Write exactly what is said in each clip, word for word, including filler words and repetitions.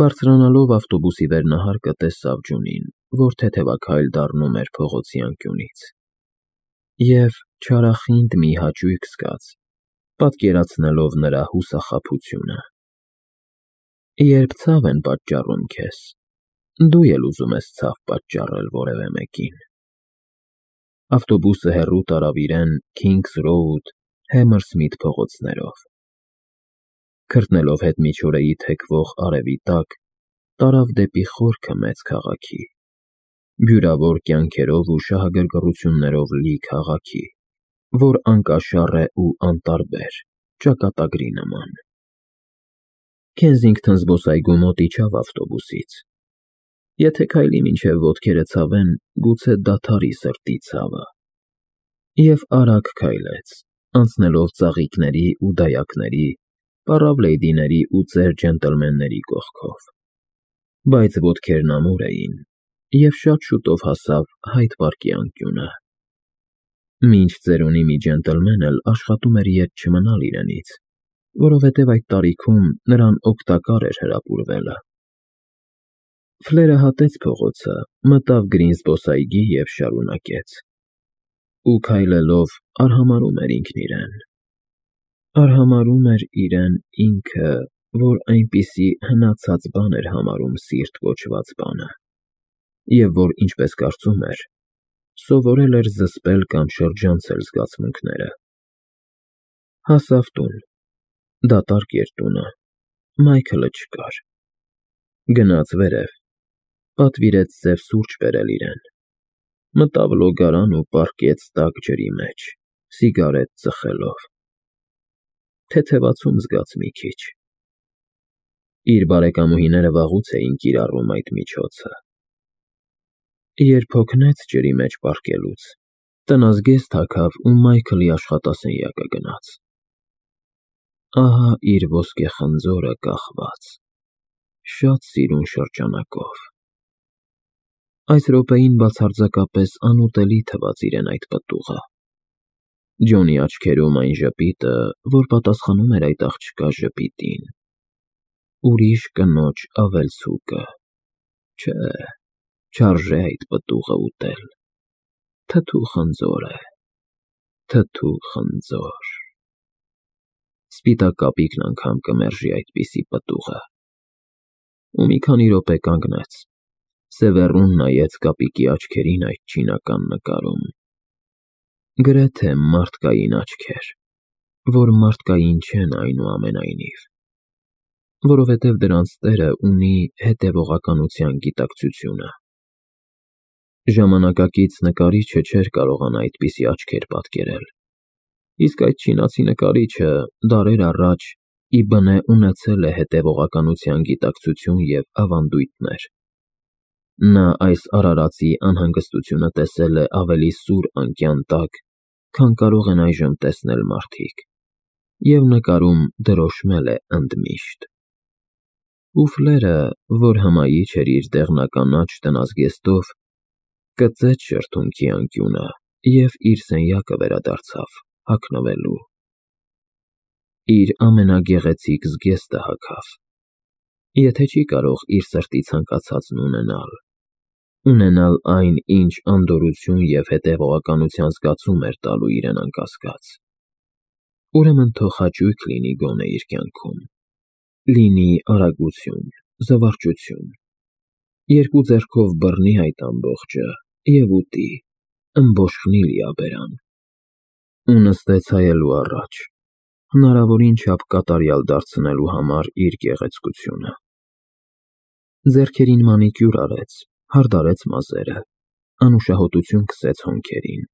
Բարձրանալով ավտոբուսի վերնահարկը տեսավ Ջունին, որ թեթևաքայլ դառնում էր փողոցի անկյունից, և չարախինդ մի հաճույք զգաց, պատկերացնելով նրա հուսախաբությունը։ Երբ ցավ են պատճառում քեզ, դու էլ ուզում ես ցավ պատճառել որևէ մեկին։ Ավտոբուսը հեռու տարավ իրեն Քինգս Ռոուդ, Հեմերսմիթ փողոցներով։ Քրտնելով հետմիջօրեի թեքվող արևի տակ, տարավ դեպի խորքը մեծ քաղաքի, բյուրավոր կյանքերով ու շահագրգռություններով լի քաղաքի, որ անկաշառ է ու անտարբեր, ճակատագրի նման։ Քենսինգթոն զբոսայգու մոտ իջավ ավտոբուսից։ Եթե քայլի մինչև ոտքերը ցավեն, գուցե դադարի սրտի ցավը։ Եվ արագ քայլեց, անցնելով ծաղիկների ու դայակների, պառավ լեյդիների ու ծեր ջենտլմենների կողքով։ Բայց ոտքերն ամուր էին, և շատ շուտով հասավ Հայդ պարկի անկյունը։ Մինչ ծերունի մի ջենտլմեն էլ աշխատում էր ետ չմնալ իրենից, որովհետև այդ տարիքում նրան օգտակար էր հրապուրվելը։ Ֆլերը հատեց փողոցը, մտավ Գրին զբոսայգի և շարունակեց։ Ու քայլելով արհամարհում էր ինքն իրեն։ Արհամարհում էր իրեն ինքը, որ այնպիսի հնացած բան էր համարում սիրտ կոչված բանը, և որ, ինչպես կարծում էր, սովորել էր զսպել կամ շրջանցել զգացմունքները։ Հասավ տուն։ Դատարկ էր տունը, Մայքլը չկար։ Գնաց վերև, պատվիրեց սև սուրճ բերել իրեն։ Մտավ լոգարան ու պառկեց տաք ջրի մեջ, սիգարետ ծխելով։ Թեթևացում զգաց մի քիչ։ Իր բարեկամուհիները վաղուց էին կիրառում այդ միջոցը։ Երբ հոգնեց ջրի մեջ պառկելուց, տնազգեստ հագավ ու Մայքլի աշխատասենյակը գնաց։ Ահա իր ոսկե խնձորը կախված, շատ սիրուն շրջանակով։ Այս րոպեին բացարձակապես անուտելի թվաց իրեն այդ պտուղը։ Ջոնի աչքերում այն ժպիտը, որ պատասխանում էր այդ աղջկա ժպիտին։ Ուրիշ կնոջ ավելցուկը։ Չէ, չարժե այդ պտուղը ուտել։ Թթու խնձոր է, թթու խնձոր։ Սպիտակ կապիկն անգամ կմերժի այդպիսի պտուղը։ Ու մի քանի րոպե կանգնեց, սևեռուն նայեց կապիկի աչքերին այդ չինական նկարում։ Գրեթե մարդկային աչքեր, որ մարդկային չեն այնուամենայնիվ, որովհետև դրանց տերը ունի հետևողականության գիտակցությունը։ Ժամանակակից նկարիչը չէր կարողանա այդպիսի աչքեր պատկերել, իսկ այդ չինացի նկարիչը դարեր առաջ ի բնե ունեցել է հետևողականության գիտակցություն և ավանդույթներ։ Նա այս արարածի անհանգստությունը տեսել է ավելի սուր անկյան տակ, քան կարող են այժմ տեսնել մարդիկ, և նկարում դրոշմել է ընդմիշտ։ Ու Ֆլերը, որ հմայիչ էր իր դեղնականաչ տնազգեստով, կծեց շրթունքի անկյունը և իր սենյակը վերադարձավ հագնվելու։ Իր ամենագեղեցիկ զգեստը հագավ։ Եթե չի կարող իր սրտի ցանկացածն ունենալ, ունենալ այն, ինչ անդորրություն և հետևողականության զգացում էր տալու իրեն անկասկած, ուրեմն թող հաճույք լինի գոնե իր կյանքում, լինի արագություն, զվարճություն, երկու ձեռքով բռնի այդ ամբողջը և ուտի, ըմբոշխնի լիաբերան։ Ու նստեց հայելու առաջ, հնարավորին չափ կատարյալ դարձնելու համար իր գեղեցկությունը։ Ձեռքերին մանիկյուր արեց, հարդարեց մազերը, անուշահոտություն քսեց հոնքերին,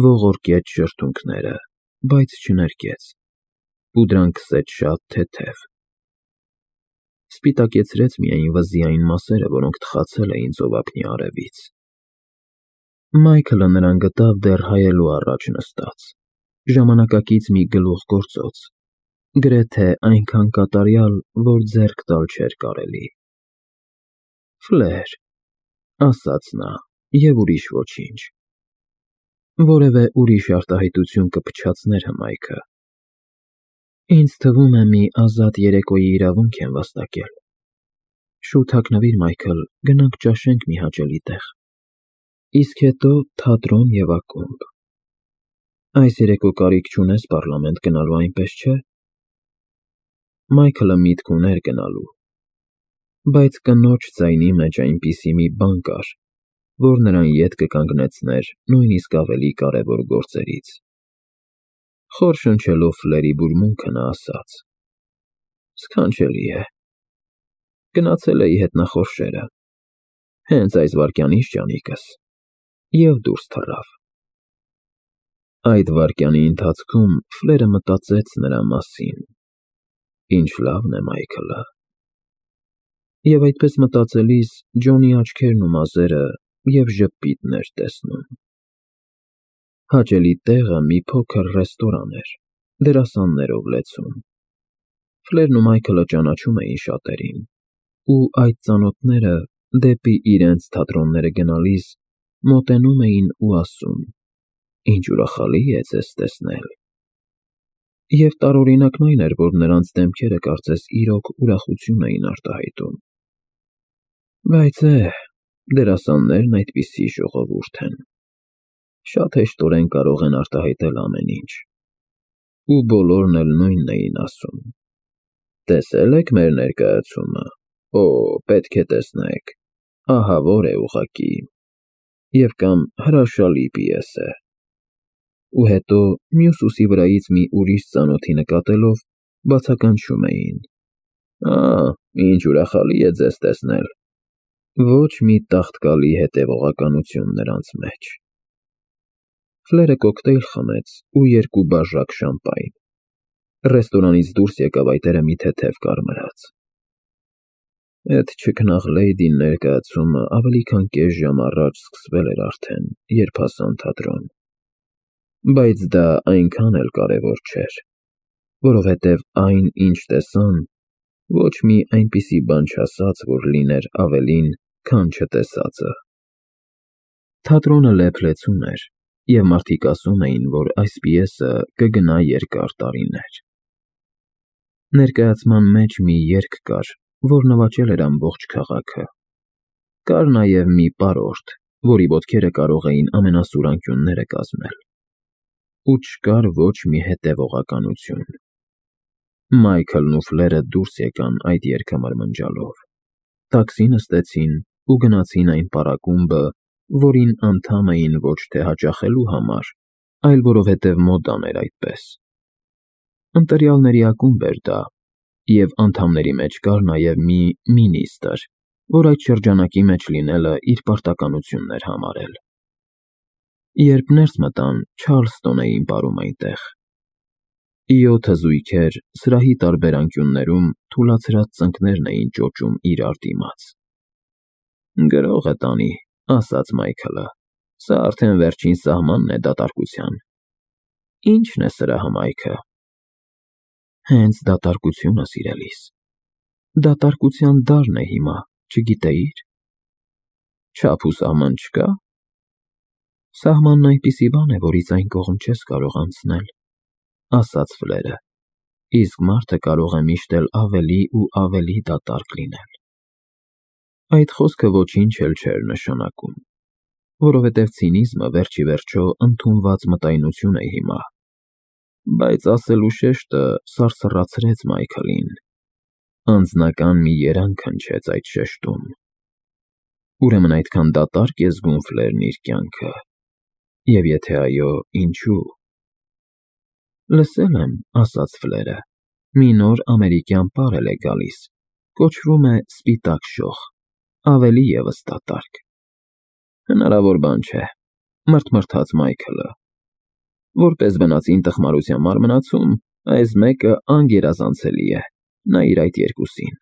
ողորկեց շրթունքները, բայց չներկեց, պուդրան քսեց շատ թեթև։ Սպիտակեցրեց միայն վզի այն մասերը, որոնք թխացել էին ծովափնյա արևից։ Մայքլը նրան գտավ դեռ հայելու առաջ նստած, ժամանակակից մի գլուխգործոց, գրեթե այնքան կատարյալ, որ ձեռք տալ չէր կարելի։ Ֆլեր, ասաց նա, և ուրիշ ոչինչ։ Որևէ ուրիշ արտահայտություն կփչացներ հմայքը։ Ինձ թվում է մի ազատ երեկոյի իրավունք եմ վաստակել։ Շուտ հագնվիր, Մայքլ, գնանք ճաշենք մի հաճելի տեղ, իսկ հետո թատրոն և ակումբ։ Այս երեկո կարիք չունես պառլամենտ գնալու, այնպես չէ՞։ Մայքլը միտք ուներ գնալու, բայց կնոջ ձայնի մեջ այնպիսի մի բան կար, որ նրան ետ կկանգնեցներ նույնիսկ ավելի կարևոր գործերից։ Խոր շնչելով Ֆլերի բուրմունքը նա ասաց. Սքանչելի է։ Գնացել էի հետնախորշերը, հենց այս վայրկյանից ճանիկս, և դուրս թռավ։ Այդ վայրկյանի ընթացքում Ֆլերը մտածեց նրա մասին. Ինչ լավն է Մայքլը։ Եվ այդպես մտածելիս Ջոնի աչքերն ու մազերը և ժպիտն էր տեսնում։ Հաճելի տեղը մի փոքր ռեստորան էր, դերասաններով լեցուն։ Ֆլերն ու Մայքլը ճանաչում էին շատերին, ու այդ ծանոթները դեպի իրենց թատրոնները գնալիս մոտենում էին ու ասում. Ինչ ուրախալի է ձեզ տեսնել։ Եվ տարօրինակն այն էր, որ նրանց դեմքերը կարծես իրոք ուրախություն էին արտահայտում։ Բայց է, դերասաններն այդպիսի ժողովուրդ են։ Շատ հեշտորեն կարող են արտահայտել ամեն ինչ։ Ու բոլորն էլ նույնն էին ասում. Տեսե՞լ եք մեր ներկայացումը։ Օ, պետք է տեսնեք, ահավոր է ուղղակի։ Եվ կամ հրաշալի պիես է։ Ու հետո մյուս ուսի վրայից մի ուրիշ ծանոթի նկատելով բացականչում էին. Ա, ինչ ուրախալի է ձեզ տեսնել։ Ոչ մի տաղտկալի հետևողականություն նրանց մեջ։ Ֆլերը կոկտեյլ խմեց ու երկու բաժակ շամպայն։ Ռեստորանից դուրս եկավ այտերը մի թեթև կարմրած։ Էդ չքնաղ լեյդին ներկայացումը ավելի քան կես ժամ առաջ սկսվել էր արդեն, երբ հասան թատրոն։ Բայց դա այնքան էլ կարևոր չէր, որովհետև այն, ինչ տեսան, ոչ մի այնպիսի բան չասաց, որ լիներ ավելին, քան չտեսածը։ Թատրոնը լեփ-լեցուն էր, և մարդիկ ասում էին, որ այս պիեսը կգնա երկար տարիներ։ Ներկայացման մեջ մի երգ կար, որ նվաճել էր ամբողջ քաղաքը։ Կար նաև մի պարորտ, որի ոտքերը կարող էին ամենասուր անկյունները կազմել։ Ու չկար ոչ մի հետևողականություն։ Մայքլն ու Ֆլերը դուրս եկան այդ երգը մրմնջալով։ Տաքսի նստեցին ու գնացին այն պարակումբը, որին անդամ էին ոչ թե հաճախելու համար, այլ որովհետև մոդան էր այդպես։ Ընտրյալների ակումբ էր դա, և անդամների մեջ կար նաև մի մինիստրը, որ այդ շրջանակի մեջ լինելը իր պարտականությունն էր համարել։ Երբ ներս մտան, Չարլստոն էին պարում այնտեղ։ Յոթը զույգեր սրահի տարբեր անկյուններում թուլացրած ծնկներն էին ճոճում իրար դիմաց։ Գրողը տանի, ասաց Մայքլը, սա արդեն վերջին սահմանն է դատարկության։ Ի՞նչն է սրահը, Մայքը։ Հենց դատարկությունը, սիրելիս։ Դատարկության դարն է հիմա, չգիտեի՞ր։ Չափ ու սահման չկա։ Սահմանն այնպիսի բան է, որից այն կողմ չես կարող անցնել, ասաց Ֆլերը, իսկ մարդը կարող է միշտ էլ ավելի ու ավելի դատարկ լինել։ Այդ խոսքը ոչինչ էլ չէր նշանակում, որովհետև ցինիզմը վերջ ի վերջո ընդունված մտայնություն է հիմա։ Բայց ասելու շեշտը սարսռացրեց Մայքլին։ Անձնական մի երանգ հնչեց այդ շեշտում։ Ուրեմն այդքան դատարկ է զգում Ֆլերն իր կյանքը։ Եվ եթե այո, ինչու։ Լսել եմ, ասաց Ֆլերը, մի նոր ամերիկյան պար է գալիս, կոչվում է Սպիտակ շող, ավելի ևս դատարկ։ Հնարավոր բան չէ, մրթմրթաց Մայքլը։ Որպես բնածին տխմարության մարմնացում, այս մեկը անգերազանցելի է, նայիր այդ երկուսին։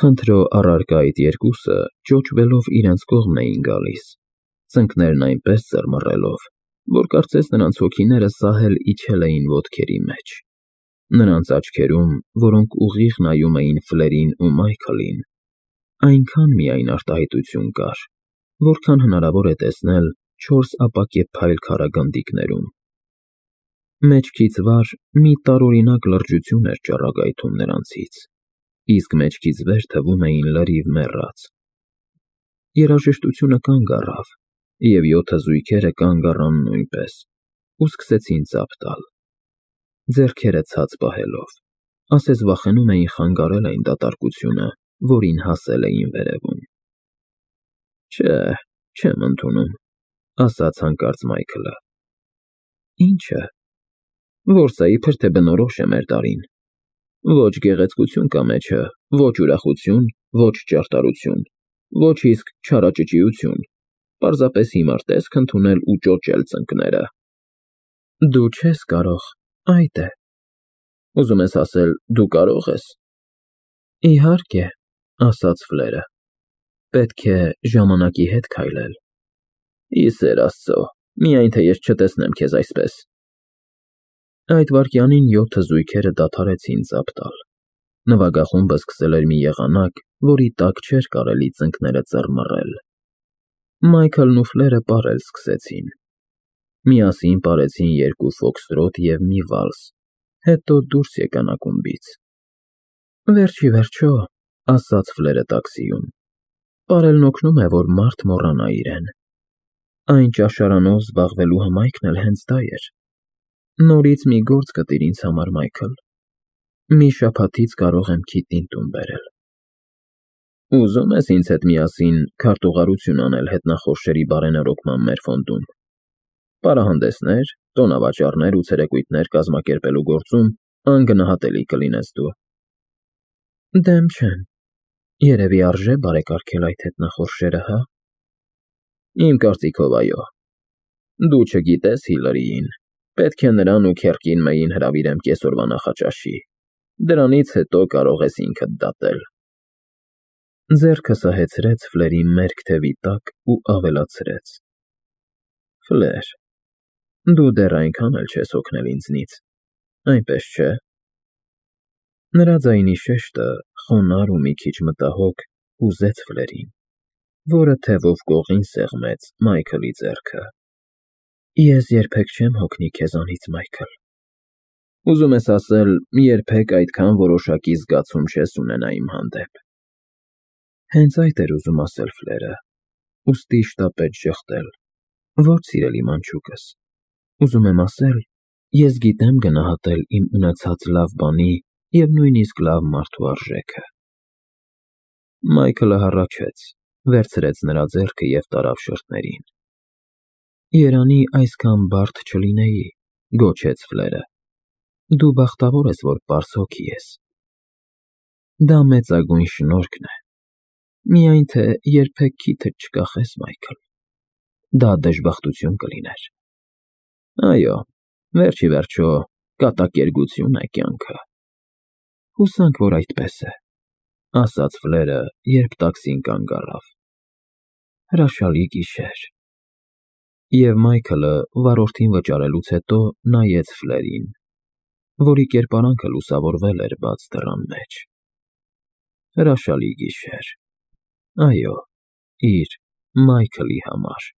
Խնդրո առարկա այդ երկուսը ճոճվելով իրենց կողմն էին գալիս, ծնկներն այնպես ծռմռելով, որ կարծես նրանց հոգիները սահել իջել էին ոտքերի մեջ։ Նրանց աչքերում, որոնք ուղիղ նայում էին Ֆլերին ու Մայքլին, այնքան միայն արտահայտություն կար, որքան հնարավոր է տեսնել չորս ապակեպ փայլ քառագնդիկներում։ Մեջքից վար մի տարօրինակ լրջություն էր ճառագայթում նրանցից, իսկ մեջքից վեր թվում էին լրիվ մեռած։ Երաժշտությունը կանգ առավ, և յոթը զույգերը կանգ առան նույնպես ու սկսեցին ծափ տալ, ձեռքերը ցած պահելով, ասես վախենում էին խանգարել այն դատարկությունը, որին հասել էին վերևում։ Չէ, չեմ ընդունում, ասաց հանկարծ Մայքլը։ Ի՞նչը։ Որսը իբր թե բնորոշ է մեր տարին։ Ոչ գեղեցկություն կա մեջը, ոչ ուրախություն, ոչ ճարտարություն, ոչ իսկ չարաճճիություն, պարզապես հիմար տեսք ընդունել ու ճոճել ծնկները։ Դու չես կարող, այդ է։ Ուզում ես ասել, դու կարող ես։ Իհարկե, ասաց Ֆլերը, պետք է ժամանակի հետ քայլել։ Ի սեր Աստծո, միայն թե ես չտեսնեմ քեզ այսպես։ Այդ վայրկյանին յոթը զույգերը դադարեցին ծափ տալ։ Նվագախումբը սկսել էր մի եղանակ, որի տակ չէր կարելի ծնկները ծռմռել։ Մայքլն ու Ֆլերը պարել սկսեցին։ Միասին պարեցին երկու ֆոքստրոտ և մի վալս, հետո դուրս եկան ակումբից։ Վերջ ի վերջո, ասաց Ֆլերը տաքսիում, պարելն օգնում է, որ մարդ մոռանա իրեն։ Այն ճաշարանով զբաղվելու հմայքն էլ հենց դա էր։ Նորից մի գործ գտիր ինձ համար, Մայքլ։ Մի շաբաթից կարող եմ քիթին տուն բերել։ Ուզում ես ինձ հետ միասին քարտուղարություն անել հետնախորշերի բարենրոկման մեր ֆոնդում։ Պարահանդեսներ, տոնավաճառներ ու ցերեկույթներ կազմակերպելու գործում անգնահատելի կլինես դու։ Դեմ չեմ։ Երևի արժե բարեկարգել այդ հետնախորշերը, հա։ Իմ կարծիքով այո։ Դու չգիտես Հիլարիին, պետք է նրան ու Քերկին Մեյին հրավիրեմ կեսօրվա նախաճաշի, դրանից հետո կարող ես ինքդ դատել։ Ձեռքը սահեցրեց Ֆլերի մերկ թևի տակ ու ավելացրեց. Ֆլեր, դու դեռ այնքան էլ չես հոգնել ինձնից, այնպես չէ։ Նրա ձայնի շեշտը, խոնարհ ու մի քիչ մտահոգ, հուզեց Ֆլերին, որը թևով կողին սեղմեց Մայքլի ձեռքը։ Ես երբեք չեմ հոգնի քեզանից, Մայքլ։ Ուզում ես ասել, երբեք այդքան որոշակի զգացում չես ունենա իմ հանդեպ։ Հենց այդ էր ուզում ասել Ֆլերը, ուստի շտապեց ժխտել. Ոչ, սիրելի մանչուկս, ուզում եմ ասել, ես գիտեմ գնահատել իմ ունեցած լավ բանի և նույնիսկ լավ մարդու արժեքը։ Մայքլը հառաչեց, վերցրեց նրա ձեռքը և տարավ շրթներին։ Երանի այսքան բարդ չլինեի, գոչեց Ֆլերը։ Դու բախտավոր ես, որ պարզ հոգի ես։ Դա մեծագույն շնորհքն է։ Միայն թե երբեք քիթդ չկախես, Մայքլ։ Դա դժբախտություն կլիներ։ Այո, վերջ ի վերջո, կատակերգություն է կյանքը։ Հուսանք, որ այդպես է, ասաց Ֆլերը, երբ տաքսին կանգ առավ։ Հրաշալի գիշեր։ Եվ Մայքլը վարորդին վճարելուց հետո նայեց Ֆլերին, որի կերպարանքը լուսավորվել էր բաց դռան մեջ։ Հրաշալի գիշեր։ Այո, իր Մայքլի համար։